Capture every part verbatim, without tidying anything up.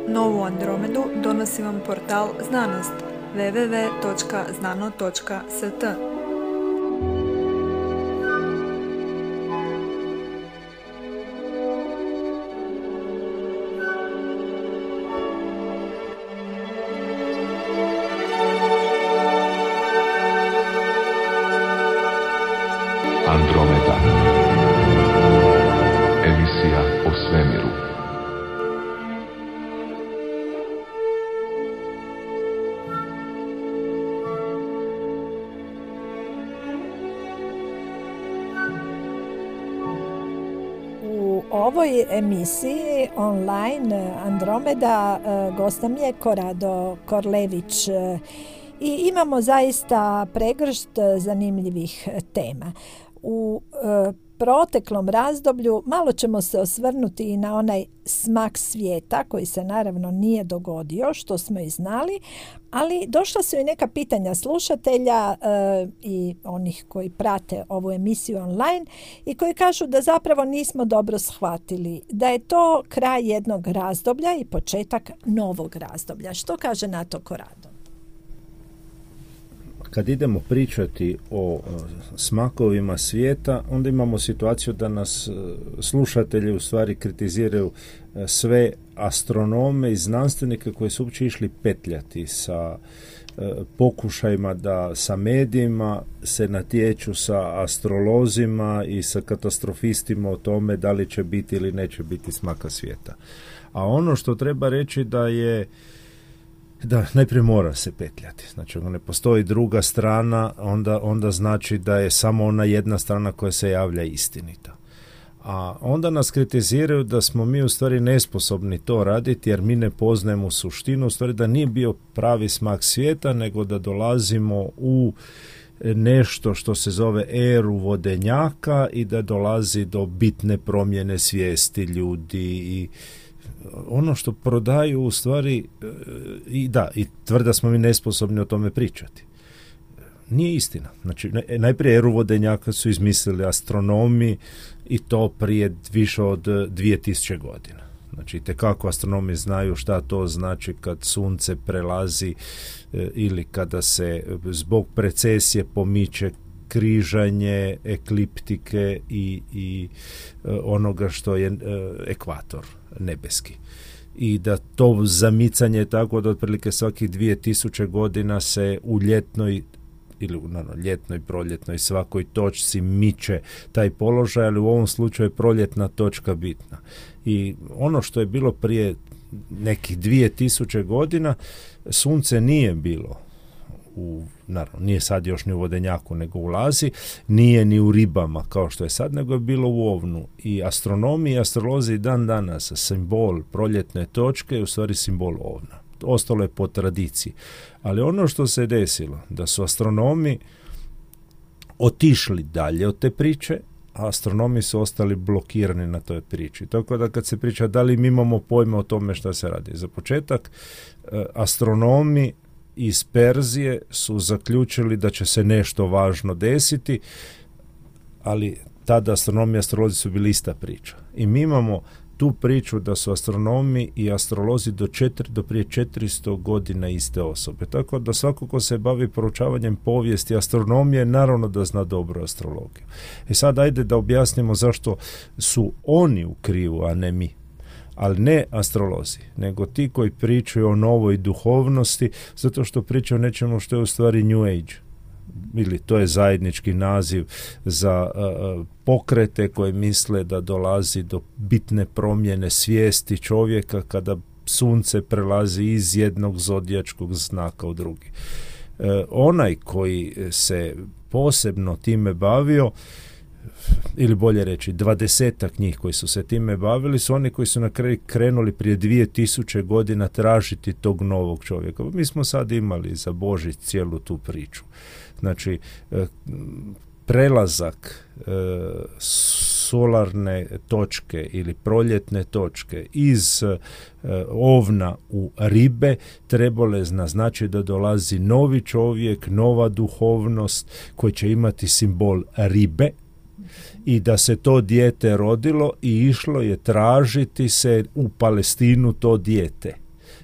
Novu Andromedu donosi vam portal Znanost w w w točka znano točka s t. Andromeda. Emisija o svemiru. U ovoj emisiji online Andromeda gost nam je Korado Korlević i imamo zaista pregršt zanimljivih tema. U e, proteklom razdoblju malo ćemo se osvrnuti i na onaj smak svijeta koji se naravno nije dogodio, što smo i znali, ali došla su i neka pitanja slušatelja e, i onih koji prate ovu emisiju online i koji kažu da zapravo nismo dobro shvatili, da je to kraj jednog razdoblja i početak novog razdoblja. Što kaže na to Korado? Kad idemo pričati o smakovima svijeta, onda imamo situaciju da nas slušatelji u stvari kritiziraju sve astronome i znanstvenike koji su uopće išli petljati sa pokušajima da sa medijima se natječu sa astrolozima i sa katastrofistima o tome da li će biti ili neće biti smaka svijeta. A ono što treba reći da je da najprije mora se petljati. Znači, ako ne postoji druga strana, onda, onda znači da je samo ona jedna strana koja se javlja istinita. A onda nas kritiziraju da smo mi u stvari nesposobni to raditi jer mi ne poznajemo suštinu, u stvari da nije bio pravi smak svijeta, nego da dolazimo u nešto što se zove eru vodenjaka i da dolazi do bitne promjene svijesti ljudi i ono što prodaju u stvari i da, i tvrda smo mi nesposobni o tome pričati. Nije istina. Znači, najprije eru vodenjaka su izmislili astronomi i to prije više od dvije tisuće godina. Znači, tekako astronomi znaju šta to znači kad sunce prelazi ili kada se zbog precesije pomiče križanje ekliptike i, i onoga što je ekvator nebeski. I da to zamicanje tako da otprilike svakih dvije tisuće godina se u ljetnoj ili naravno, ljetnoj, proljetnoj svakoj točci miče taj položaj, ali u ovom slučaju je proljetna točka bitna. I ono što je bilo prije nekih dvije tisuće godina, sunce nije bilo u, naravno, nije sad još ni u vodenjaku, nego ulazi, nije ni u ribama kao što je sad, nego je bilo u ovnu. I astronomi i astrolozi dan danas simbol proljetne točke je u stvari simbol ovna. Ostalo je po tradiciji. Ali ono što se desilo, da su astronomi otišli dalje od te priče, a astronomi su ostali blokirani na toj priči. Tako da kad se priča da li mi imamo pojma o tome šta se radi. Za početak, astronomi iz Perzije su zaključili da će se nešto važno desiti, ali tada astronomi i astrolozi su bili ista priča. I mi imamo tu priču da su astronomi i astrolozi do, četiri, do prije četiristo godina iste osobe. Tako da svako ko se bavi proučavanjem povijesti astronomije, naravno da zna dobro astrologiju. I sad ajde da objasnimo zašto su oni u krivu, a ne mi. Ali ne astrolozi, nego ti koji pričaju o novoj duhovnosti, zato što pričaju o nečemu što je u stvari New Age. Ili to je zajednički naziv za uh, pokrete koje misle da dolazi do bitne promjene svijesti čovjeka kada sunce prelazi iz jednog zodijačkog znaka u drugi. Uh, onaj koji se posebno time bavio, ili bolje reći dvadesetak njih koji su se time bavili, su oni koji su na kraju krenuli prije dvije tisuće godina tražiti tog novog čovjeka. Mi smo sad imali za Božić cijelu tu priču. Znači, prelazak solarne točke ili proljetne točke iz ovna u ribe trebalo je naznačiti da dolazi novi čovjek, nova duhovnost koji će imati simbol ribe, i da se to dijete rodilo i išlo je tražiti se u Palestinu to dijete.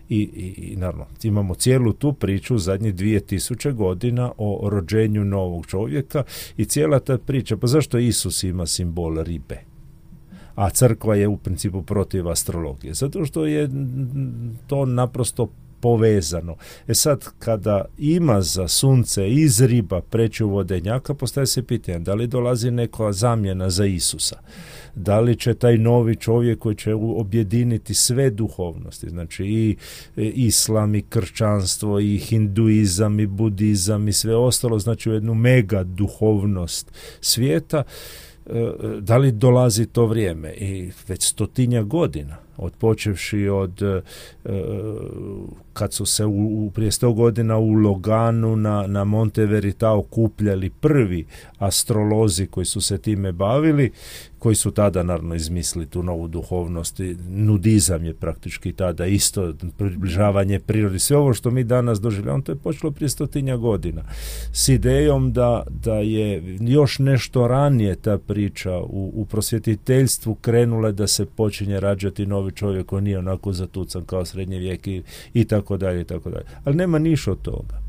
I, i, i naravno, imamo cijelu tu priču zadnjih dvije tisuće godina o rođenju novog čovjeka i cijela ta priča, pa zašto Isus ima simbol ribe? A crkva je u principu protiv astrologije. Zato što je to naprosto povezano. E sad, kada ima za sunce iz riba preći u vodenjaka, postaje se pitanje da li dolazi neka zamjena za Isusa. Da li će taj novi čovjek koji će objediniti sve duhovnosti, znači i islam, i kršćanstvo, i hinduizam, i budizam, i sve ostalo, znači u jednu mega duhovnost svijeta, da li dolazi to vrijeme? I već stotinja godina, odpočevši od kad su se u, prije sto godina u Loganu na, na Monte Veritao okupljali prvi astrolozi koji su se time bavili, koji su tada naravno izmislili tu novu duhovnost. Nudizam je praktički tada isto, približavanje prirodi, sve ovo što mi danas doživljavamo, to je počelo prije stotinja godina s idejom da, da je još nešto ranije ta priča u, u prosvjetiteljstvu krenula da se počinje rađati novi čovjek koji nije onako zatucan kao srednji vijek i, i tako dalje i tako dalje. Ali nema ništa od toga.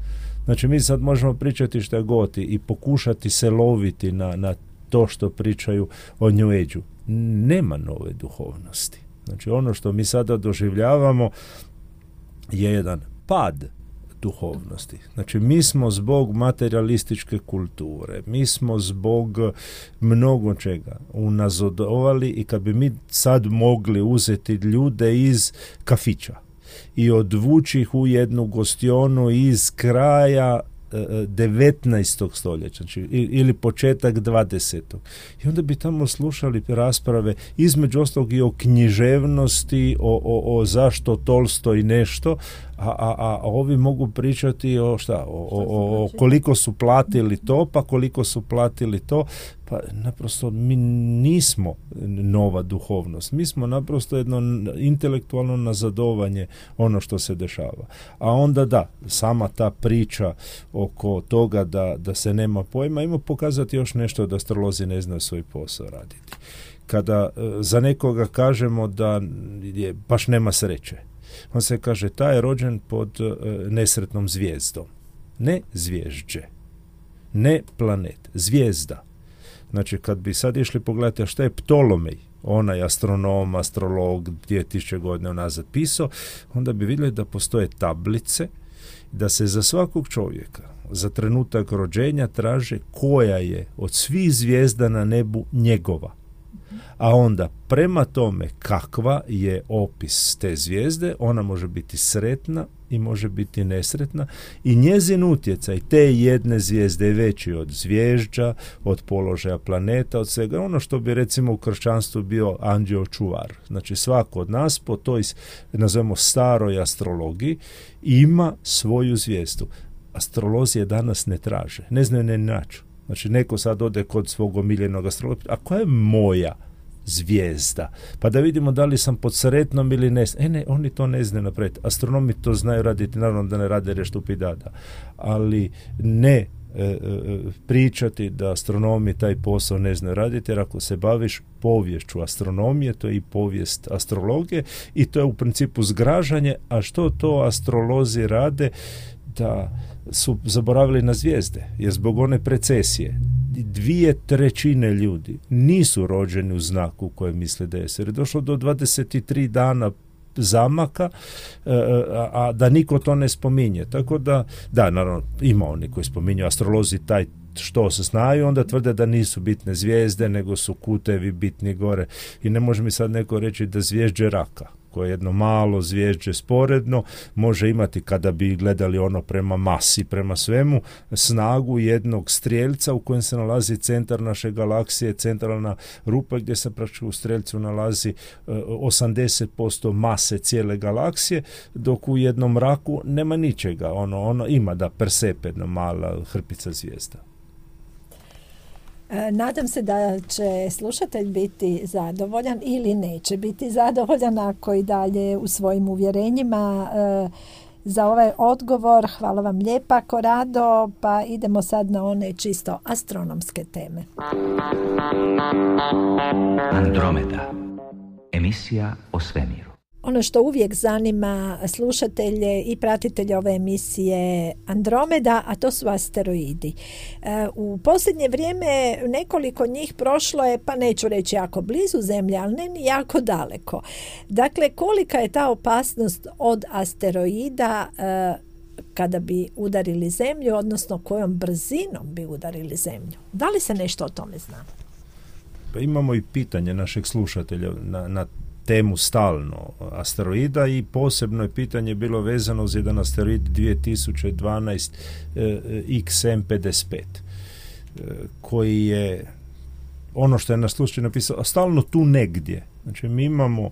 Znači mi sad možemo pričati šta god i pokušati se loviti na, na to što pričaju o New Age-u. Nema nove duhovnosti. Znači ono što mi sada doživljavamo je jedan pad duhovnosti. Znači mi smo zbog materialističke kulture, mi smo zbog mnogo čega unazadovali i kad bi mi sad mogli uzeti ljude iz kafića i odvući ih u jednu gostionu iz kraja devetnaestog stoljeća, znači ili početak dvadesetog. I onda bi tamo slušali rasprave između ostalog i o književnosti, o, o, o zašto Tolstoj nešto, a, a, a ovi mogu pričati o šta, o, o, o koliko su platili to, pa koliko su platili to, pa naprosto mi nismo nova duhovnost, mi smo naprosto jedno intelektualno nazadovanje ono što se dešava. A onda da, sama ta priča oko toga da, da se nema pojma, ima pokazati još nešto da astrolozi ne znaju svoj posao raditi. Kada za nekoga kažemo da je, baš nema sreće, on se kaže, taj je rođen pod uh, nesretnom zvijezdom. Ne zvježđe, ne planet, zvijezda. Znači, kad bi sad išli pogledati šta je Ptolomej, onaj astronom, astrolog, dvije tisuće godina unazad pisao, onda bi vidjeli da postoje tablice, da se za svakog čovjeka za trenutak rođenja traže koja je od svih zvijezda na nebu njegova. A onda prema tome kakva je opis te zvijezde, ona može biti sretna i može biti nesretna i njezin utjecaj te jedne zvijezde je veći od zvježđa, od položaja planeta, od svega. Ono što bi recimo u kršćanstvu bio anđeo čuvar. Znači svako od nas po toj, nazovemo, staroj astrologiji ima svoju zvijezdu. Astrolozi je danas ne traže, ne znaju ne naći. Znači neko sad ode kod svog omiljenog astrologa, a koja je moja zvijezda? Pa da vidimo da li sam pod sretnom ili ne. E ne, oni to ne znaju napraviti. Astronomi to znaju raditi, naravno da ne rade reštupidada, ali ne e, e, pričati da astronomi taj posao ne znaju raditi, jer ako se baviš poviješću astronomije, to je i povijest astrologije i to je u principu zgražanje, a što to astrolozi rade? Da su zaboravili na zvijezde, jer zbog one precesije dvije trećine ljudi nisu rođeni u znaku koje misle da je, jer je došlo do dvadeset tri dana zamaka, a, a da niko to ne spominje. Tako da, da, naravno, ima oni koji spominju, astrolozi taj što se znaju, onda tvrde da nisu bitne zvijezde, nego su kutevi bitni gore. I ne može mi sad neko reći da zvježđe raka, koje jedno malo zvježđe sporedno može imati, kada bi gledali ono prema masi, prema svemu, snagu jednog strijelca u kojem se nalazi centar naše galaksije, centralna rupa gdje se praktički u strijelcu nalazi osamdeset posto mase cijele galaksije, dok u jednom raku nema ničega. Ono, ono ima da Persep, jedna mala hrpica zvijezda. Nadam se da će slušatelj biti zadovoljan ili neće biti zadovoljan ako i dalje u svojim uvjerenjima. Za ovaj odgovor hvala vam lijepa, Corrado, pa idemo sad na one čisto astronomske teme. Andromeda, emisija o svemiru. ono što uvijek zanima slušatelje i pratitelje ove emisije Andromeda, a to su asteroidi. U posljednje vrijeme nekoliko njih prošlo je, pa neću reći jako blizu Zemlje, ali ne ni jako daleko. Dakle, kolika je ta opasnost od asteroida kada bi udarili Zemlju, odnosno kojom brzinom bi udarili Zemlju? Da li se nešto o tome zna? Pa imamo i pitanje našeg slušatelja na, na temu stalno asteroida i posebno je pitanje bilo vezano za jedan asteroid dvije tisuće dvanaest eh, X M pedeset pet eh, koji je ono što je na slučaju napisao stalno tu negdje. Znači mi imamo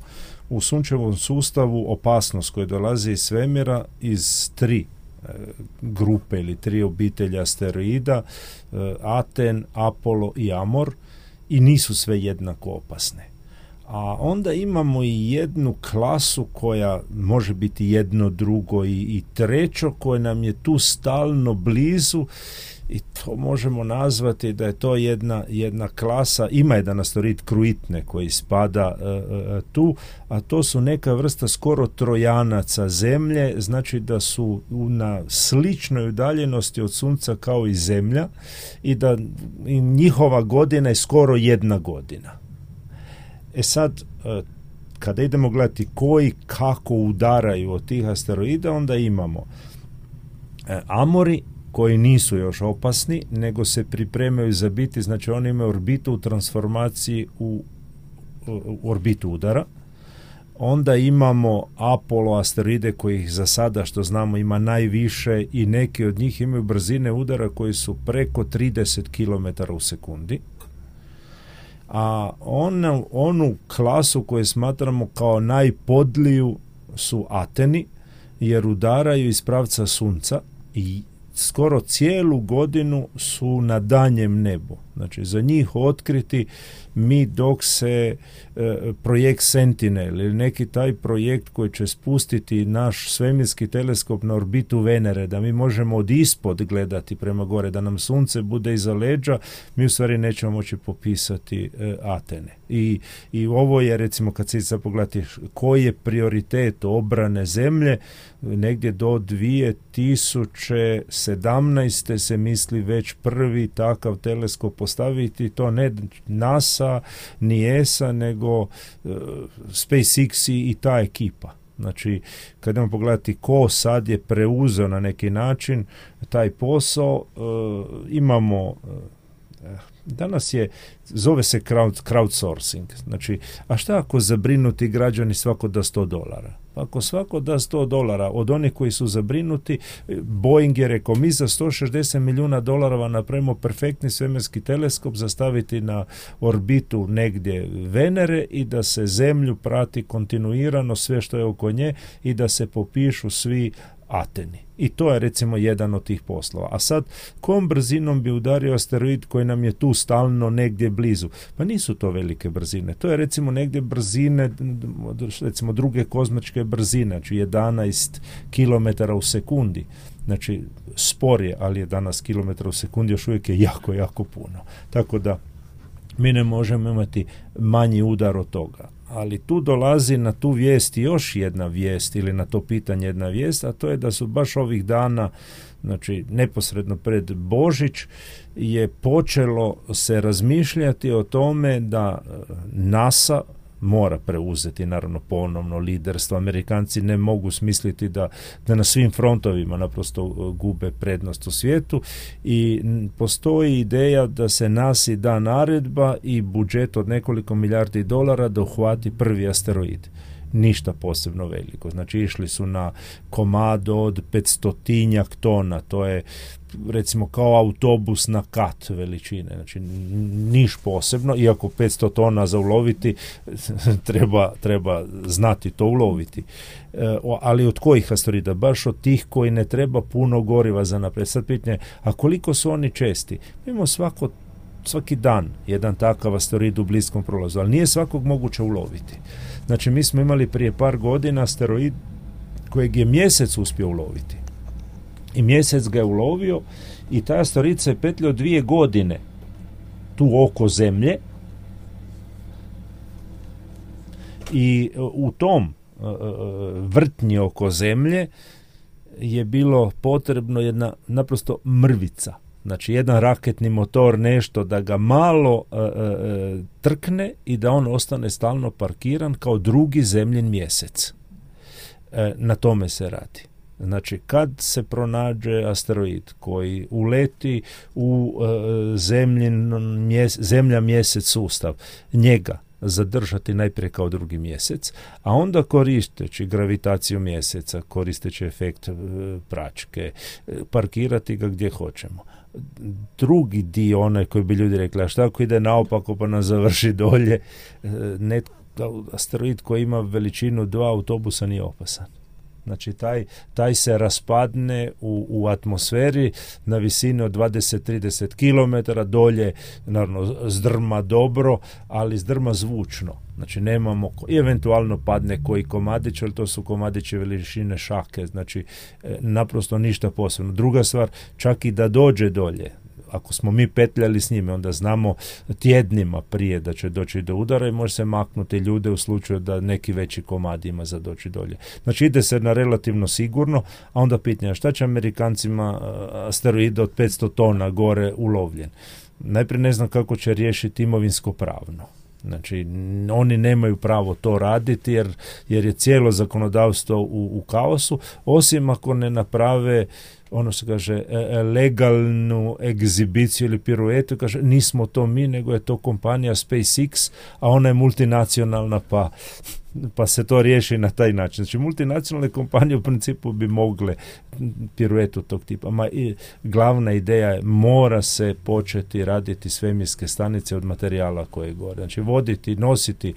u sunčevom sustavu opasnost koja dolazi iz svemira iz tri eh, grupe ili tri obitelji asteroida, eh, Aten, Apollo i Amor, i nisu sve jednako opasne. A onda imamo i jednu klasu koja može biti jedno, drugo i, i trećo koje nam je tu stalno blizu i to možemo nazvati da je to jedna, jedna klasa, ima jedan asteroid Kruitne koji spada e, e, tu, a to su neka vrsta skoro trojanaca Zemlje, znači da su na sličnoj udaljenosti od Sunca kao i Zemlja i da i njihova godina je skoro jedna godina. E sad, kada idemo gledati koji kako udaraju od tih asteroida, onda imamo Amori koji nisu još opasni, nego se pripremaju za biti, znači oni imaju orbitu u transformaciji u, u orbitu udara. Onda imamo Apollo asteroide kojih za sada što znamo ima najviše i neki od njih imaju brzine udara koji su preko trideset kilometara u sekundi. A onu, onu klasu koju smatramo kao najpodliju su Ateni, jer udaraju iz pravca Sunca i skoro cijelu godinu su na danjem nebu. Znači, za njih otkriti mi dok se e, projekt Sentinel ili neki taj projekt koji će spustiti naš svemirski teleskop na orbitu Venere, da mi možemo od ispod gledati prema gore, da nam Sunce bude iza leđa, mi u stvari nećemo moći popisati e, Atene. I, I ovo je, recimo, kad se sad pogledati koji je prioritet obrane Zemlje, negdje do dvije tisuće sedamnaeste se misli već prvi takav teleskop postaviti, to ne NASA ni E S A, nego uh, SpaceX i, i ta ekipa. Znači, kad idemo pogledati ko sad je preuzeo na neki način taj posao, uh, imamo uh, danas je, zove se crowd, crowdsourcing. Znači, a šta ako zabrinuti građani svako da sto dolara? Ako svako da sto dolara od onih koji su zabrinuti, Boeing je rekao, mi za sto šezdeset milijuna dolara napravimo perfektni svemirski teleskop za staviti na orbitu negdje Venere i da se Zemlju prati kontinuirano sve što je oko nje i da se popišu svi Ateni. I to je recimo jedan od tih poslova. A sad, kojom brzinom bi udario asteroid koji nam je tu stalno negdje blizu? Pa nisu to velike brzine. To je recimo negdje brzine, recimo druge kozmičke brzine, znači jedanaest kilometara u sekundi. Znači, spor je, ali jedanaest kilometara u sekundi još uvijek je jako, jako puno. Tako da mi ne možemo imati manji udar od toga. Ali tu dolazi na tu vijest još jedna vijest ili na to pitanje jedna vijest, a to je da su baš ovih dana, znači neposredno pred Božić, je počelo se razmišljati o tome da NASA mora preuzeti naravno ponovno liderstvo. Amerikanci ne mogu smisliti da, da na svim frontovima naprosto gube prednost u svijetu i postoji ideja da se nasi da naredba i budžet od nekoliko milijardi dolara da uhvati prvi asteroid. Ništa posebno veliko. Znači išli su na komado od petstotinjak tona, to je recimo kao autobus na kat veličine, znači niš posebno, iako petsto tona za uloviti treba, treba znati to uloviti. E, ali od kojih asteroida? Baš od tih koji ne treba puno goriva za naprijed. Sad pitanje, a koliko su oni česti? Imamo svako svaki dan jedan takav asteroid u bliskom prolazu, ali nije svakog moguće uloviti. Znači, mi smo imali prije par godina asteroid kojeg je Mjesec uspio uloviti. I Mjesec ga je ulovio i taj asteroid se petljao dvije godine tu oko Zemlje i u tom vrtnji oko zemlje je bilo potrebno jedna naprosto mrvica. Znači jedan raketni motor, nešto da ga malo e, e, trkne i da on ostane stalno parkiran kao drugi zemljin mjesec. E, na tome se radi. Znači kad se pronađe asteroid koji uleti u e, zemljin, mjes, zemlja mjesec sustav, njega zadržati najprije kao drugi mjesec, a onda koristeći gravitaciju mjeseca, koristeći efekt e, pračke, e, parkirati ga gdje hoćemo. Drugi dio, onaj koji bi ljudi rekli, a šta ako ide naopako pa nas završi dolje, e, net, asteroid koji ima veličinu dva autobusa nije opasan. Znači taj, taj se raspadne u, u atmosferi na visini od dvadeset do trideset kilometara, dolje naravno zdrma dobro, ali zdrma zvučno. Znači nemamo, i eventualno padne koji komadić, ali to su komadići veličine šake, znači e, naprosto ništa posebno. Druga stvar, čak i da dođe dolje, ako smo mi petljali s njime, onda znamo tjednima prije da će doći do udara i može se maknuti ljude u slučaju da neki veći komad ima za doći dolje. Znači ide se na relativno sigurno, a onda pitanje šta će Amerikancima asteroid od petsto tona gore ulovljen. Najprije ne znam kako će riješiti imovinsko pravno. Znači, oni nemaju pravo to raditi jer, jer je cijelo zakonodavstvo u, u kaosu, osim ako ne naprave ono se kaže legalnu egzibiciju ili piruetu, kaže nismo to mi, nego je to kompanija SpaceX, a ona je multinacionalna, pa pa se to riješi na taj način. Znači, multinacionalne kompanije u principu bi mogle piruetu tog tipa. Ma i glavna ideja je, mora se početi raditi svemirske stanice od materijala koje je gore. Znači, voditi, nositi,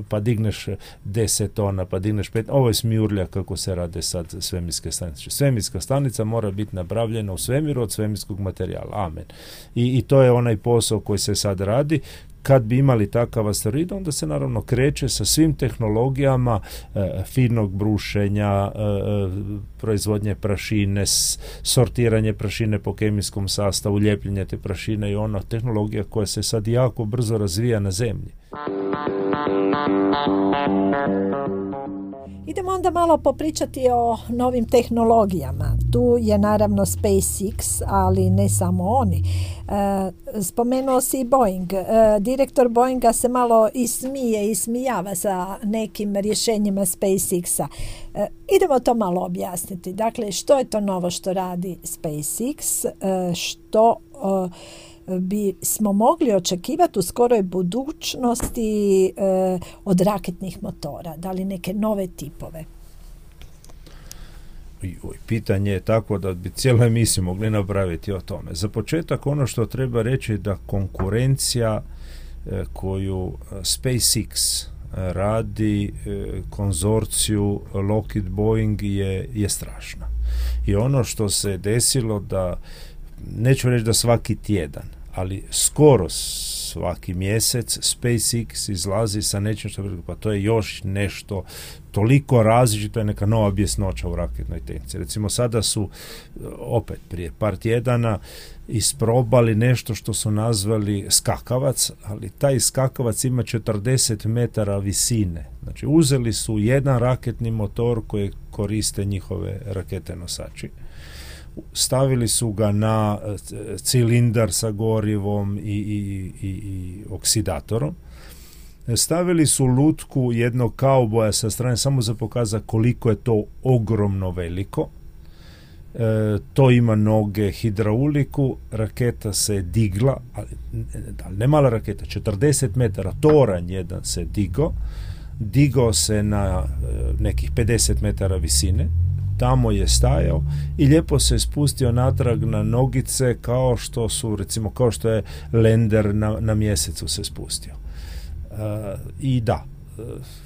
pa digneš deset tona, pa digneš pet. Ovo je smijurlja kako se rade sad svemirske stanice. Svemirska stanica mora biti napravljena u svemiru od svemirskog materijala. Amen. I, i to je onaj posao koji se sad radi. Kad bi imali takav asteroid, onda se naravno kreće sa svim tehnologijama e, finog brušenja, e, proizvodnje prašine, s, sortiranje prašine po kemijskom sastavu, ljepljenje te prašine i ona tehnologija koja se sad jako brzo razvija na zemlji. Idemo onda malo popričati o novim tehnologijama. Tu je naravno SpaceX, ali ne samo oni. E, spomenuo si i Boeing. E, direktor Boeinga se malo ismije, ismijava sa nekim rješenjima SpaceX-a. E, idemo to malo objasniti. Dakle, što je to novo što radi SpaceX? E, što e, bi smo mogli očekivati u skoroj budućnosti e, od raketnih motora? Da li neke nove tipove? Pitanje je tako da bi cijelu emisiju mogli napraviti o tome. Za početak ono što treba reći da konkurencija e, koju SpaceX radi e, konzorciju Lockheed Boeing je, je strašna. I ono što se desilo da, neću reći da svaki tjedan, ali skoro svaki mjesec SpaceX izlazi sa nečim što pa to je još nešto toliko različito, je neka nova bjesnoća u raketnoj tehnici. Recimo sada su opet prije par tjedana isprobali nešto što su nazvali skakavac, ali taj skakavac ima četrdeset metara visine. Znači uzeli su jedan raketni motor koji koriste njihove rakete nosači, stavili su ga na cilindar sa gorivom i, i, i, i oksidatorom, stavili su lutku jednog kauboja sa strane samo za pokazati koliko je to ogromno veliko. E, to ima noge, hidrauliku, raketa se digla, ali ne mala raketa, četrdeset metara, toranj jedan se digao, digao se na nekih pedeset metara visine, tamo je stajao i lijepo se spustio natrag na nogice kao što su, recimo, kao što je Lander na, na mjesecu se spustio. Uh, I da, uh,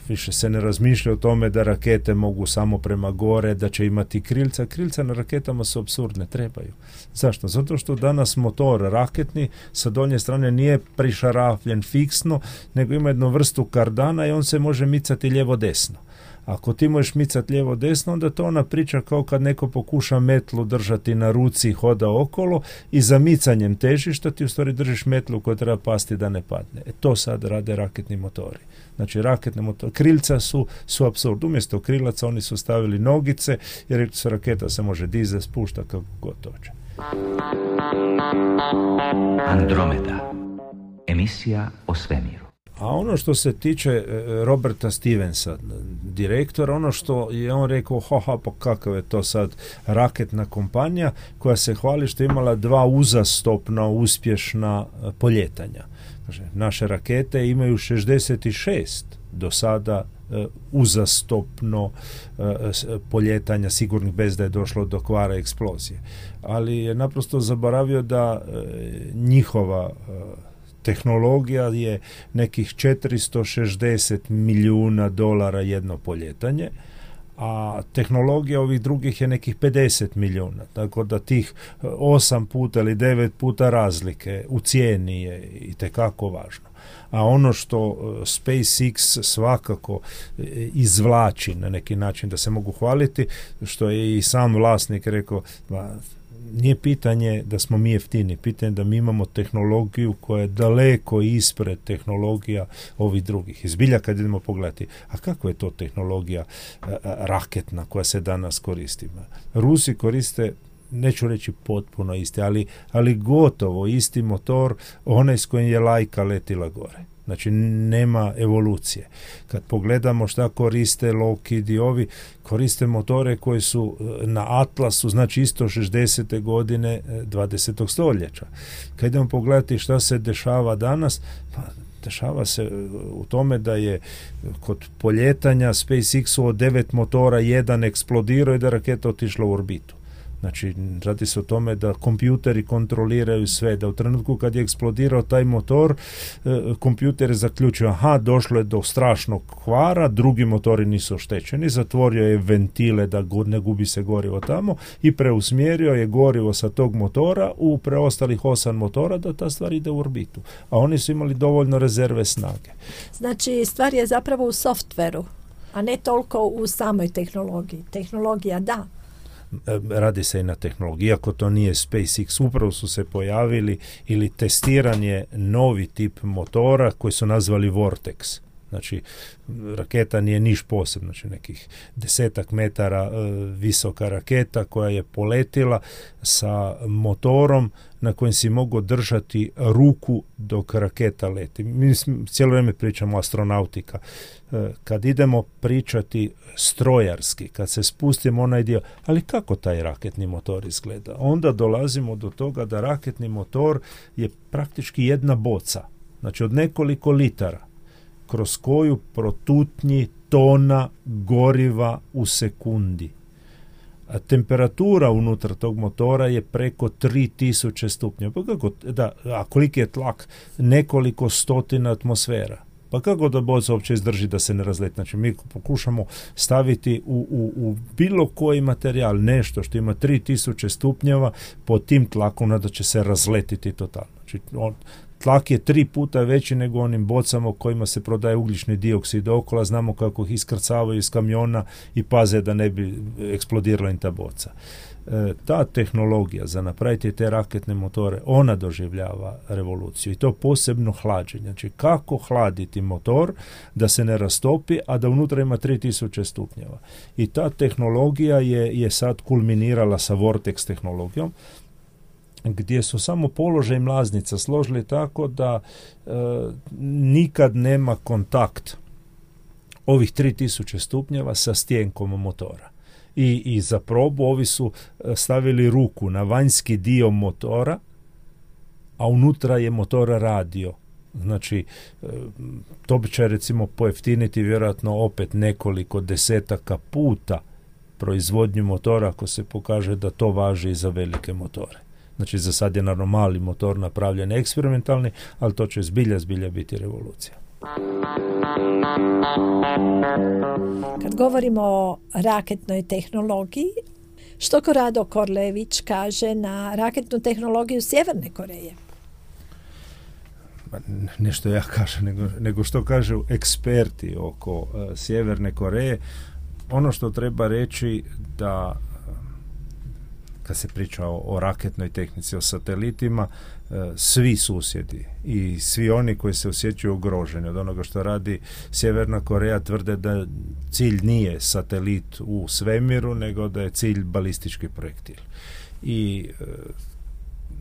više se ne razmišlja o tome da rakete mogu samo prema gore, da će imati krilca. Krilca na raketama su apsurdne, trebaju. Zašto? Zato što danas motor raketni sa donje strane nije prišarafljen fiksno, nego ima jednu vrstu kardana i on se može micati lijevo-desno. Ako ti možeš micati lijevo-desno, onda to ona priča kao kad neko pokuša metlu držati na ruci i hoda okolo i za micanjem težišta ti u stvari držiš metlu koja treba pasti da ne padne. E to sad rade raketni motori. Znači raketne motore, krilca su, su apsurd. Umjesto krilaca oni su stavili nogice jer se raketa se može dizati, spušta kako god hoće. Andromeda. Emisija o svemiru. A ono što se tiče Roberta Stevensa, direktora, ono što je on rekao, haha, pa kakav je to sad raketna kompanija koja se hvali što je imala dva uzastopna uspješna poljetanja. Znači, naše rakete imaju šezdeset šest do sada uh, uzastopno uh, poljetanja sigurnih bez da je došlo do kvara eksplozije. Ali je naprosto zaboravio da uh, njihova uh, tehnologija je nekih četiristo šezdeset milijuna dolara jedno poljetanje, a tehnologija ovih drugih je nekih pedeset milijuna, tako da tih osam puta ili devet puta razlike u cijeni je itekako važno. A ono što SpaceX svakako izvlači na neki način da se mogu hvaliti, što je i sam vlasnik rekao, nije pitanje da smo mi jeftini, pitanje da mi imamo tehnologiju koja je daleko ispred tehnologija ovih drugih. Izbilja kad idemo pogledati, a kako je to tehnologija a, a, raketna koja se danas koristi? Rusi koriste, neću reći potpuno isti, ali, ali gotovo isti motor, onaj s kojim je lajka letila gore. Znači, nema evolucije. Kad pogledamo šta koriste Lockheed i ovi, koriste motore koji su na Atlasu, znači isto šezdesete godine dvadesetog stoljeća. Kad idemo pogledati šta se dešava danas, pa dešava se u tome da je kod poljetanja SpaceX-u od devet motora jedan eksplodirao i da raketa otišla u orbitu. Znači, radi se o tome da kompjuteri kontroliraju sve, da u trenutku kad je eksplodirao taj motor, kompjuter je zaključio, aha, došlo je do strašnog kvara, drugi motori nisu oštećeni, zatvorio je ventile da ne gubi se gorivo tamo i preusmjerio je gorivo sa tog motora u preostalih osam motora da ta stvar ide u orbitu. A oni su imali dovoljno rezerve snage. Znači, stvar je zapravo u softveru, a ne toliko u samoj tehnologiji. Tehnologija, da. Radi se i na tehnologiji, iako to nije SpaceX, upravo su se pojavili ili testiranje novi tip motora koji su nazvali Vortex. Znači, raketa nije niš posebno, znači nekih desetak metara e, visoka raketa koja je poletila sa motorom na kojem si mogu držati ruku dok raketa leti. Mi cijelo vrijeme pričamo astronautika. E, kad idemo pričati strojarski, kad se spustimo onaj dio, ali kako taj raketni motor izgleda? Onda dolazimo do toga da raketni motor je praktički jedna boca, znači od nekoliko litara, kroz koju protutnji tona goriva u sekundi. A temperatura unutar tog motora je preko tri tisuće stupnjeva. Pa kako, da, a koliki je tlak? Nekoliko stotina atmosfera. Pa kako da boca uopće izdrži da se ne razleti? Znači, mi pokušamo staviti u, u, u bilo koji materijal nešto što ima tri tisuće stupnjeva pod tim tlakom, da će se razletiti totalno. Znači, on, tlak je tri puta veći nego onim bocama u kojima se prodaje ugljični dioksid okolo, znamo kako ih iskrcavaju iz kamiona i paze da ne bi eksplodirala im ta boca. E, ta tehnologija za napraviti te raketne motore, ona doživljava revoluciju i to posebno hlađenje. Znači, kako hladiti motor da se ne rastopi, a da unutra ima tri tisuće stupnjeva. I ta tehnologija je, je sad kulminirala sa Vortex tehnologijom, gdje su samo položaj mlaznica složili tako da e, nikad nema kontakt ovih tri tisuće stupnjeva sa stjenkom motora. I, i za probu ovi su stavili ruku na vanjski dio motora, a unutra je motor radio. Znači, e, to će recimo pojeftiniti vjerojatno opet nekoliko desetaka puta proizvodnju motora ako se pokaže da to važi i za velike motore. Znači, za sad je naravno mali motor napravljen eksperimentalni, ali to će zbilja, zbilja biti revolucija. Kad govorimo o raketnoj tehnologiji, što Korado Korlević kaže na raketnu tehnologiju Sjeverne Koreje? Nešto ja kažem, nego, nego što kažu eksperti oko uh, Sjeverne Koreje. Ono što treba reći da kad se priča o, o raketnoj tehnici, o satelitima, svi susjedi i svi oni koji se osjećaju ugroženi od onoga što radi Sjeverna Koreja tvrde da cilj nije satelit u svemiru, nego da je cilj balistički projektil. I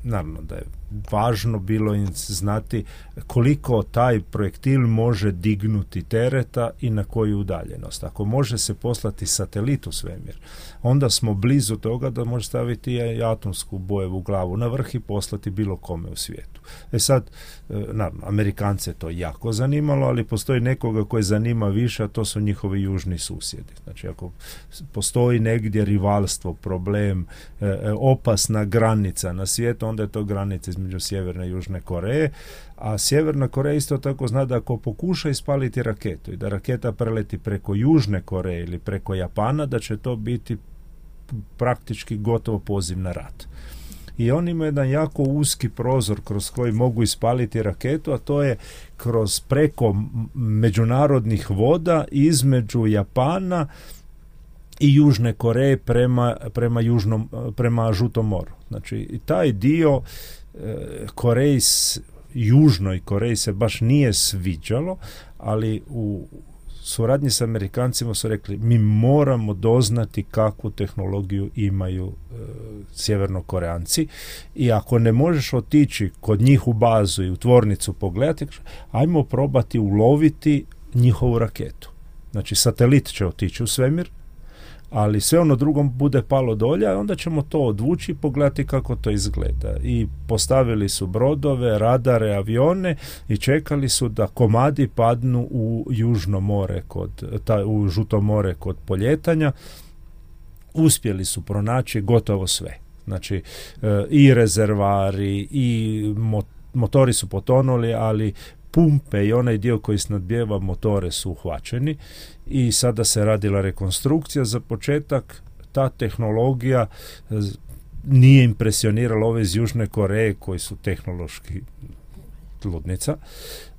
naravno da je važno bilo im znati koliko taj projektil može dignuti tereta i na koju udaljenost. Ako može se poslati satelit u svemir, onda smo blizu toga da može staviti i atomsku bojevu glavu na vrh i poslati bilo kome u svijetu. E sad, naravno, Amerikance to jako zanimalo, ali postoji nekoga koje zanima više, a to su njihovi južni susjedi. Znači, ako postoji negdje rivalstvo, problem, opasna granica na svijetu, onda je to granica između Sjeverne i Južne Koreje, a Sjeverna Koreja isto tako zna da ako pokuša ispaliti raketu i da raketa preleti preko Južne Koreje ili preko Japana, da će to biti praktički gotovo poziv na rat. I oni imaju jedan jako uski prozor kroz koji mogu ispaliti raketu, a to je kroz preko međunarodnih voda između Japana i Južne Koreje prema, prema, južnom, prema Žutom moru. Znači, i taj dio e, Koreji, Južnoj Koreji se baš nije sviđalo, ali u suradnji s Amerikancima su rekli, mi moramo doznati kakvu tehnologiju imaju e, Sjevernokoreanci, i ako ne možeš otići kod njih u bazu i u tvornicu pogledati, ajmo probati uloviti njihovu raketu. Znači, satelit će otići u svemir, ali sve ono drugom bude palo dolje, a onda ćemo to odvući i pogledati kako to izgleda. I postavili su brodove, radare, avione i čekali su da komadi padnu u Južno more, kod, ta, u Žuto more kod poljetanja. Uspjeli su pronaći gotovo sve. Znači, e, i rezervari, i mo, motori su potonuli, ali pumpe i onaj dio koji snadbijeva motore su uhvaćeni i sada se radila rekonstrukcija. Za početak ta tehnologija nije impresionirala ove iz Južne Koreje koji su tehnološki ludnica.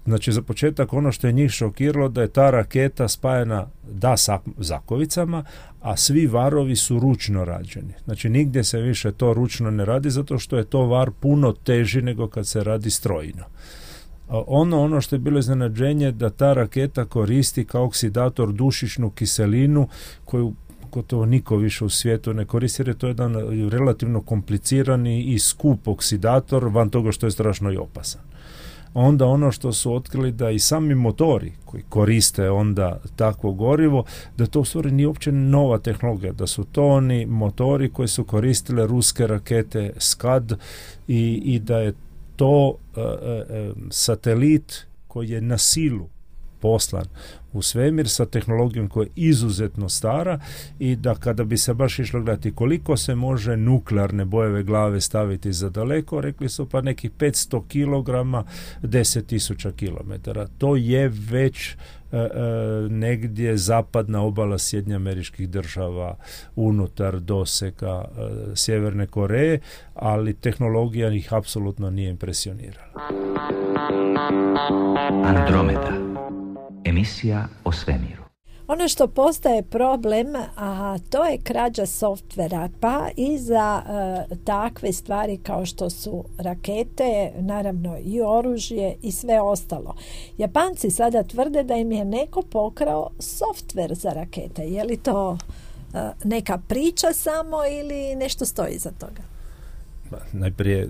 Znači, za početak ono što je njih šokiralo da je ta raketa spajena da sa zakovicama, a svi varovi su ručno rađeni. Znači, nigdje se više to ručno ne radi zato što je to var puno teži nego kad se radi strojno. Ono, ono što je bilo iznenađenje da ta raketa koristi kao oksidator dušičnu kiselinu koju gotovo niko više u svijetu ne koristi, jer je to jedan relativno komplicirani i skup oksidator van toga što je strašno i opasan. Onda ono što su otkrili da i sami motori koji koriste onda takvo gorivo, da to u stvari nije uopće nova tehnologija, da su to oni motori koji su koristile ruske rakete Skad i, i da je to uh, uh, satelit koji je na silu poslan u svemir sa tehnologijom koja je izuzetno stara i da kada bi se baš išlo gledati koliko se može nuklearne bojeve glave staviti za daleko, rekli su pa nekih petsto kilograma, deset tisuća kilometara. To je već e, e, negdje zapadna obala Sjedinjenih Američkih Država unutar dosega e, Sjeverne Koreje, ali tehnologija ih apsolutno nije impresionirala. Andromeda. Emisija o svemiru. Ono što postaje problem, a to je krađa softvera, pa i za e, takve stvari kao što su rakete, naravno i oružje i sve ostalo. Japanci sada tvrde da im je neko pokrao softver za rakete. Je li to e, neka priča samo ili nešto stoji iza toga? Najprije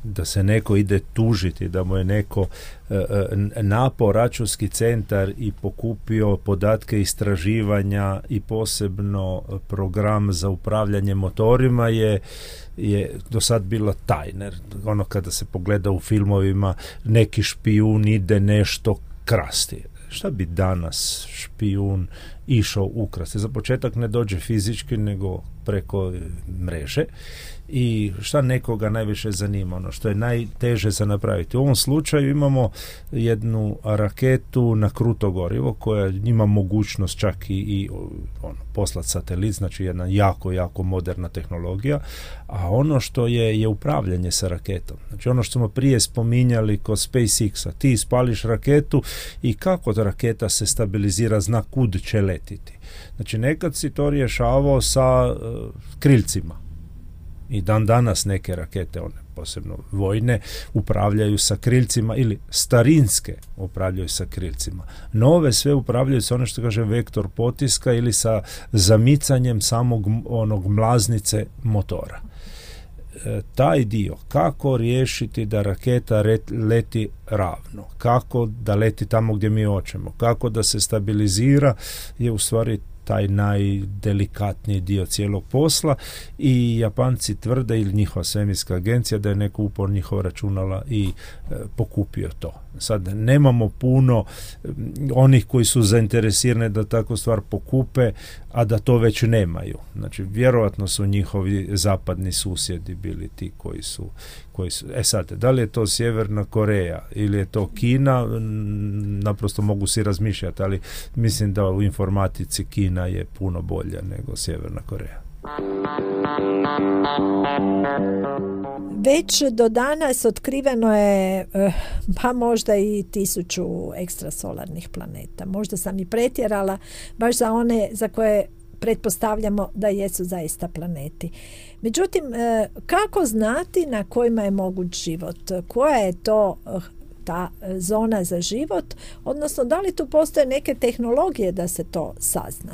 da se neko ide tužiti, da mu je neko e, napao računski centar i pokupio podatke istraživanja i posebno program za upravljanje motorima je, je do sad bila tajna. Ono kada se pogleda u filmovima, neki špijun ide nešto krasti. Šta bi danas špijun išao ukrasti? Za početak ne dođe fizički, nego preko mreže. I šta nekoga najviše zanima, ono što je najteže za napraviti. U ovom slučaju imamo jednu raketu na kruto gorivo koja ima mogućnost čak i, i ono, poslati satelit, znači jedna jako, jako moderna tehnologija, a ono što je je upravljanje sa raketom. Znači ono što smo prije spominjali kod SpaceX-a, ti ispališ raketu i kako ta raketa se stabilizira, zna kud će letiti. Znači nekad si to rješavao sa uh, krilcima. I dan danas neke rakete, one posebno vojne, upravljaju sa krilcima ili starinske upravljaju sa krilcima. Nove sve upravljaju sa ono što kaže vektor potiska ili sa zamicanjem samog onog mlaznice motora. E, taj dio, kako riješiti da raketa leti ravno, kako da leti tamo gdje mi hoćemo, kako da se stabilizira, je u stvari taj najdelikatniji dio cijelog posla i Japanci tvrde, ili njihova svemirska agencija, da je neko upor njihova računala i e, pokupio to. Sad nemamo puno onih koji su zainteresirani da takvu stvar pokupe, a da to već nemaju. Znači, vjerojatno su njihovi zapadni susjedi bili ti koji su, koji su... E sad, da li je to Sjeverna Koreja ili je to Kina, naprosto mogu si razmišljati, ali mislim da u informatici Kina je puno bolja nego Sjeverna Koreja. Već do danas otkriveno je pa možda i tisuću ekstrasolarnih planeta. Možda sam i pretjerala, baš za one za koje pretpostavljamo da jesu zaista planeti. Međutim, kako znati na kojima je moguć život? Koja je to ta zona za život? Odnosno, da li tu postoje neke tehnologije da se to sazna?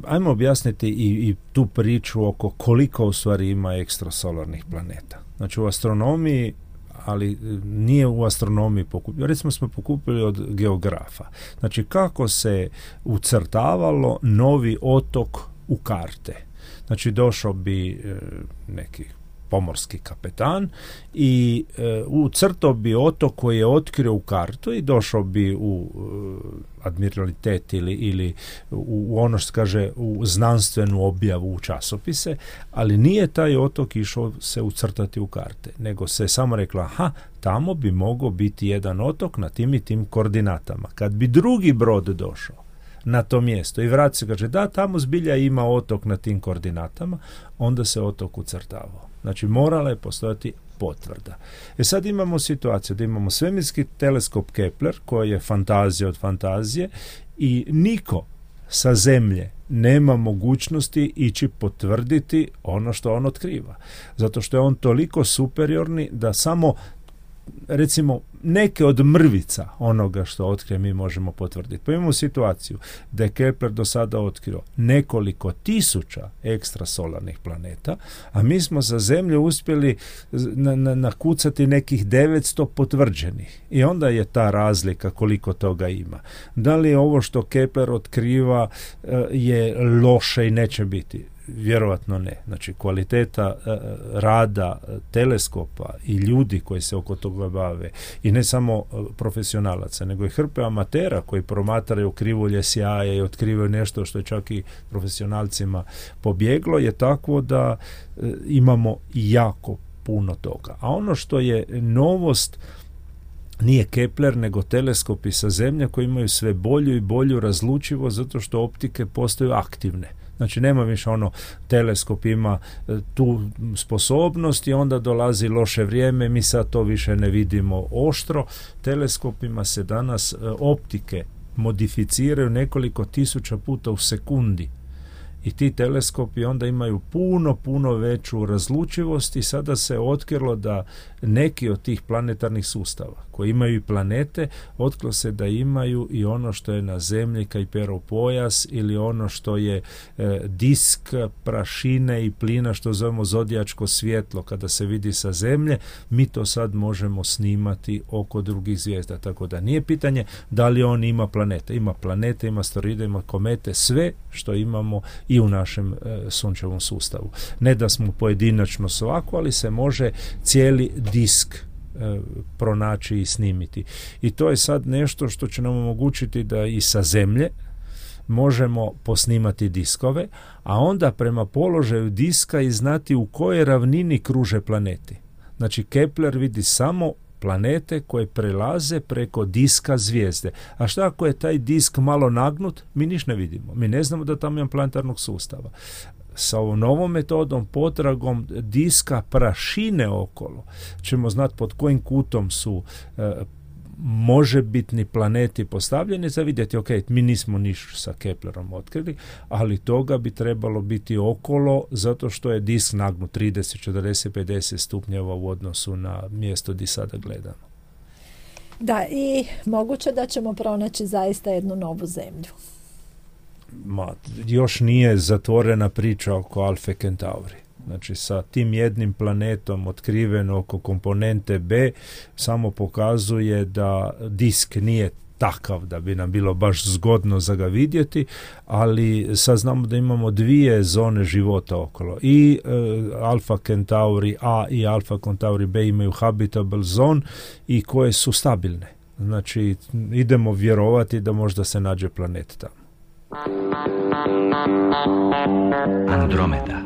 Ajmo objasniti i, i tu priču oko koliko u stvari ima ekstrasolarnih planeta. Znači, u astronomiji, ali nije u astronomiji pokupili. Recimo smo pokupili od geografa. Znači, kako se ucrtavalo novi otok u karte. Znači, došao bi e, neki pomorski kapetan i e, ucrtao bi otok koji je otkrio u kartu i došao bi u e, admiralitet ili, ili u, u ono što kaže u znanstvenu objavu u časopise, ali nije taj otok išao se ucrtati u karte, nego se samo rekla, aha, tamo bi mogao biti jedan otok na tim i tim koordinatama. Kad bi drugi brod došao na to mjesto i vrati se, kaže, da, tamo zbilja ima otok na tim koordinatama, onda se otok ucrtavao. Znači, morala je postojati potvrda. E sad imamo situaciju da imamo svemirski teleskop Kepler, koji je fantazija od fantazije, i niko sa Zemlje nema mogućnosti ići potvrditi ono što on otkriva. Zato što je on toliko superiorni da samo, recimo, neke od mrvica onoga što otkrije mi možemo potvrditi. Pa imamo situaciju da je Kepler do sada otkrio nekoliko tisuća ekstrasolarnih planeta, a mi smo za Zemlju uspjeli na, na, nakucati nekih devetsto potvrđenih. I onda je ta razlika koliko toga ima. Da li je ovo što Kepler otkriva je loše i neće biti? Vjerojatno ne. Znači, kvaliteta e, rada teleskopa i ljudi koji se oko toga bave, i ne samo profesionalaca, nego i hrpe amatera koji promatraju krivulje sjaja i otkrivaju nešto što je čak i profesionalcima pobjeglo, je takvo da e, imamo jako puno toga. A ono što je novost nije Kepler, nego teleskopi sa Zemlje koji imaju sve bolju i bolju razlučivost zato što optike postaju aktivne. Znači, nema više ono, teleskop ima tu sposobnost i onda dolazi loše vrijeme, mi sad to više ne vidimo oštro. Teleskopima se danas optike modificiraju nekoliko tisuća puta u sekundi. I ti teleskopi onda imaju puno, puno veću razlučivost i sada se otkrilo da neki od tih planetarnih sustava koji imaju i planete, otkrilo se da imaju i ono što je na Zemlji Kuiperov pojas ili ono što je e, disk prašine i plina što zovemo zodijačko svjetlo. Kada se vidi sa Zemlje, mi to sad možemo snimati oko drugih zvijezda. Tako da nije pitanje da li on ima planete. Ima planete, ima asteroide, ima komete, sve što imamo i u našem e, sunčevom sustavu. Ne da smo pojedinačno svako, ali se može cijeli disk e, pronaći i snimiti. I to je sad nešto što će nam omogućiti da i sa Zemlje možemo posnimati diskove, a onda prema položaju diska i znati u kojoj ravnini kruže planeti. Znači, Kepler vidi samo planete koje prelaze preko diska zvijezde. A šta ako je taj disk malo nagnut? Mi niš ne vidimo. Mi ne znamo da tamo ima planetarnog sustava. Sa ovom novom metodom, potragom diska prašine okolo, ćemo znati pod kojim kutom su e, možebitni planeti postavljeni za vidjeti, ok, mi nismo niš sa Keplerom otkrili, ali toga bi trebalo biti okolo zato što je disk nagnut trideset, četrdeset, pedeset stupnjeva u odnosu na mjesto gdje sada gledamo. Da, i moguće da ćemo pronaći zaista jednu novu zemlju. Ma, još nije zatvorena priča oko Alfe Centauri. Znači, sa tim jednim planetom otkriven oko komponente B samo pokazuje da disk nije takav da bi nam bilo baš zgodno za ga vidjeti, ali sad znamo da imamo dvije zone života okolo. I e, Alfa Centauri A i Alfa Centauri B imaju habitable zone i koje su stabilne. Znači, idemo vjerovati da možda se nađe planet tamo. Andromeda.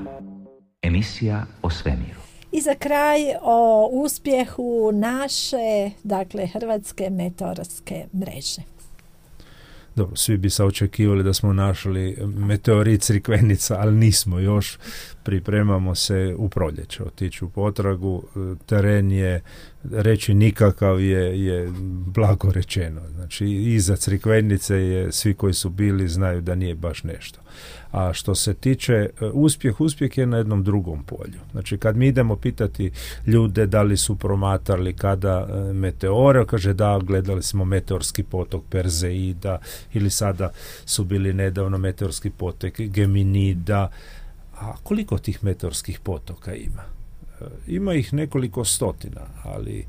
Emisija o svemiru. I za kraj o uspjehu naše, dakle, hrvatske meteorske mreže. Dobro, svi bi se očekivali da smo našli meteorit Crikvenica, ali nismo još. Pripremamo se u proljeće otići u potragu. Teren je, reći nikakav je, je blago rečeno. Znači, iza Crikvenice je, svi koji su bili znaju da nije baš nešto. A što se tiče uspjeh, uspjeh je na jednom drugom polju. Znači, kad mi idemo pitati ljude da li su promatrali kada meteore, kaže da, gledali smo meteorski potok Perseida, ili sada su bili nedavno meteorski potok Geminida. A koliko tih meteorskih potoka ima? Ima ih nekoliko stotina, ali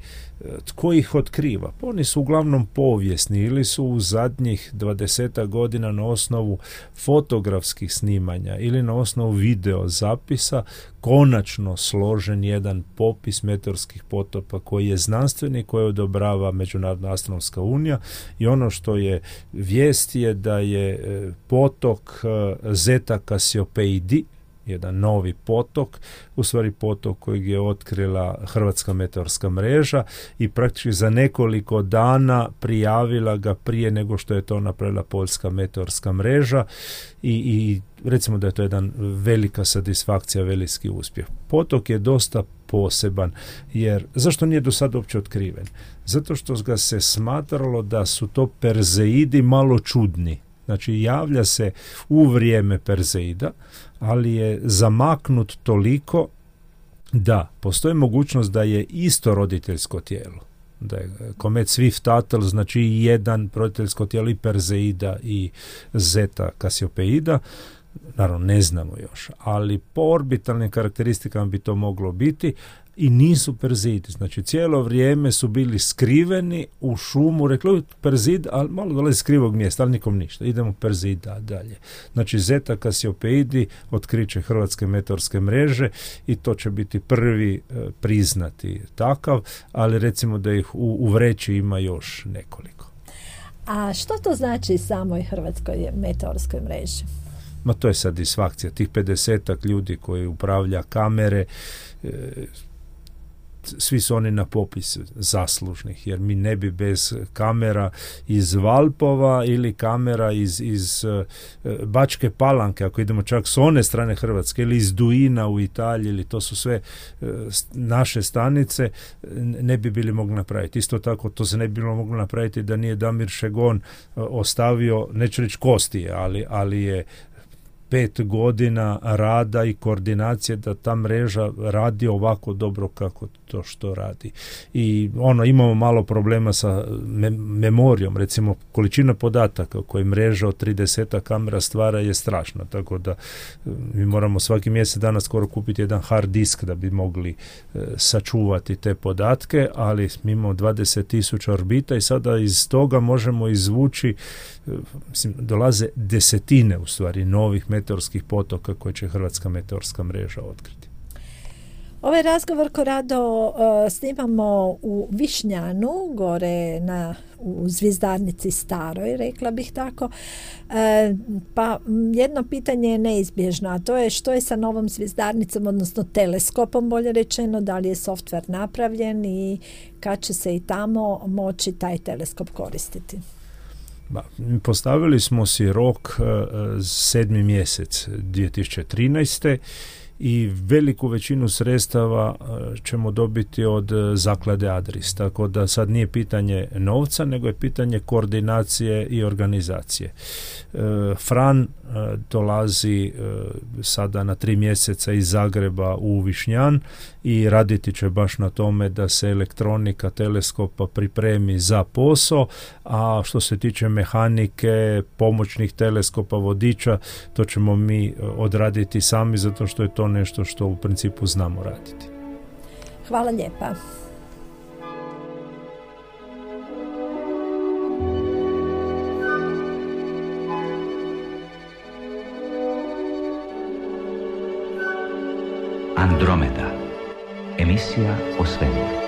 tko ih otkriva? Pa oni su uglavnom povijesni ili su u zadnjih dvadesetak godina na osnovu fotografskih snimanja ili na osnovu video zapisa konačno složen jedan popis meteorskih potoka koji je znanstveni, koji odobrava Međunarodna astronomska unija, i ono što je vijest je da je potok Zeta Cassiopeidae, jedan novi potok, u stvari potok kojeg je otkrila Hrvatska meteorska mreža i praktički za nekoliko dana prijavila ga prije nego što je to napravila Poljska meteorska mreža i, i recimo da je to jedan velika satisfakcija, veliki uspjeh. Potok je dosta poseban, jer zašto nije do sada uopće otkriven? Zato što ga se smatralo da su to Perseidi malo čudni. Znači, javlja se u vrijeme Perseida, ali je zamaknut toliko da postoji mogućnost da je isto roditeljsko tijelo. Da je komet Swift-Tuttle, znači jedan roditeljsko tijelo i Perseida i Zeta Cassiopeidae. Naravno, ne znamo još, ali po orbitalnim karakteristikama bi to moglo biti. I nisu Perseidi, znači cijelo vrijeme su bili skriveni u šumu, rekli Perseid, ali malo dolazi s krivog mjesta, ali nikom ništa, idemo Perseida dalje. Znači Zeta Cassiopeidae otkriće Hrvatske meteorske mreže i to će biti prvi e, priznati takav, ali recimo da ih u, u vreći ima još nekoliko. A što to znači samoj Hrvatskoj meteorskoj mreži? Ma to je satisfakcija, tih pedesetak ljudi koji upravlja kamere, e, svi su oni na popisu zaslužnih, jer mi ne bi bez kamera iz Valpova ili kamera iz, iz uh, Bačke Palanke, ako idemo čak s one strane Hrvatske, ili iz Duina u Italiji, ili to su sve uh, naše stanice, ne bi bili mogli napraviti. Isto tako, to se ne bi bilo moglo napraviti da nije Damir Šegon uh, ostavio, neću reći kostije, ali, ali je pet godina rada i koordinacije da ta mreža radi ovako dobro kako to što radi. I ono, imamo malo problema sa me- memorijom, recimo količina podataka koje mreža od trideset kamera stvara je strašna, tako da mi moramo svaki mjesec dana skoro kupiti jedan hard disk da bi mogli e, sačuvati te podatke, ali mi imamo dvadeset tisuća orbita i sada iz toga možemo izvući, e, mislim, dolaze desetine u stvari novih meteorskih potoka koje će Hrvatska meteorska mreža otkriti. Ovaj razgovor Korado uh, snimamo u Višnjanu, gore na, u Zvizdarnici staroj, rekla bih tako. E, pa jedno pitanje je neizbježno, a to je što je sa novom Zvizdarnicom, odnosno teleskopom, bolje rečeno, da li je softver napravljen i kad će se i tamo moći taj teleskop koristiti? Ba, postavili smo si rok uh, sedmi mjesec dvije tisuće trinaeste i veliku većinu sredstava ćemo dobiti od zaklade Adris, tako da sad nije pitanje novca, nego je pitanje koordinacije i organizacije. Fran dolazi sada na tri mjeseca iz Zagreba u Višnjan i raditi će baš na tome da se elektronika teleskopa pripremi za posao, a što se tiče mehanike, pomoćnih teleskopa, vodiča, to ćemo mi odraditi sami zato što je to nešto što u principu znamo raditi. Hvala lijepa. Andromeda. Emisija o svemiru.